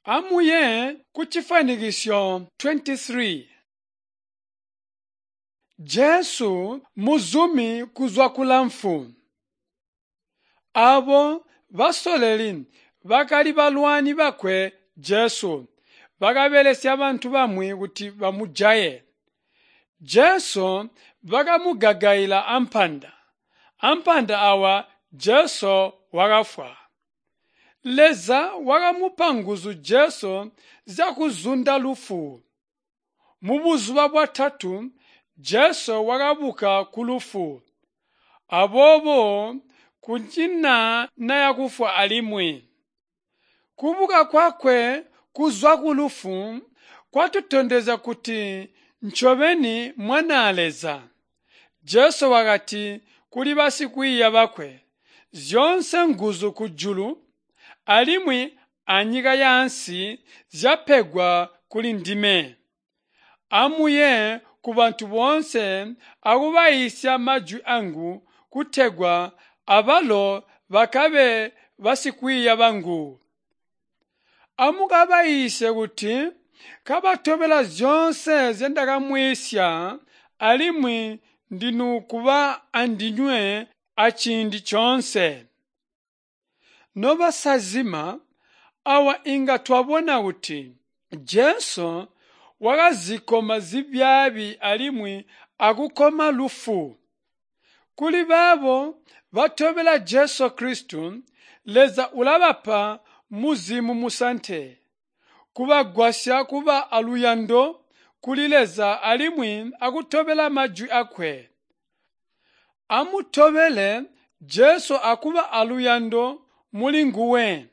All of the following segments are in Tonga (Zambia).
Amuye kucifwanikiso 23. Jesu muzumi kuzwa kulamfwu. Aabo basololi bakali balwani bakwe Jesu bakabelesya bantu bamwi kuti bamujaye. Jesu bakamugagaila ampanda. Ampanda awa Jesu wakafwa. Leza wakamupa nguzu Jesu zyakuzunda lufwu. Mubuzuba bwatatu Jesu wakabuka kulufwu. Aboobo kunyina nayakufwa alimwi. Kubuka kwakwe kuzwa kulufwu kwatutondezya kuti ncobeni Mwanaa Leza. Jesu wakati kuli basikwiiya bakwe, "Zyoonse nguzu kujulu alimwi anyika yaansi zyapegwa kuli ndime. Amuye kubantu boonse akubayiisya majwi angu kutegwa abalo bakabe basikwiiya bangu. Amukabayiisye kuti kabatobela zyoonse nzyendakamwiisya alimwi ndinukuba andinywe aciindi coonse." Nobasazima, awa inga twabona kuti Jesu wakazikoma zibyaabi alimwi akukoma lufwu. Kuli baabo batobela Jesu Kristo, Leza ulabapa Muzimu Musante, kubagwasya kuba aluyando kuli Leza alimwi akutobela majwi akwe. Amutobele Jesu akuba aluyando muli nguwe.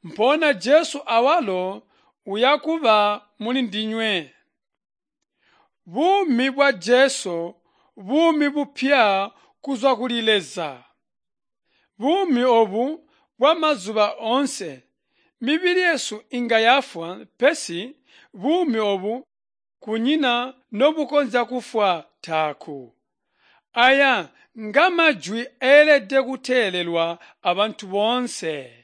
Mpoona Jesu awalo uyakuba muli ndinywe. Buumi bwa Jesu buumi bupya kuzwa kuli Leza. Buumi obu bwamazuba oonse. Mibili yesu inga yafwa pesi buumi obu kunyina nobukonzya kufwa taaku. Aya ngamajwi eelede kuteelelwa abantu boonse.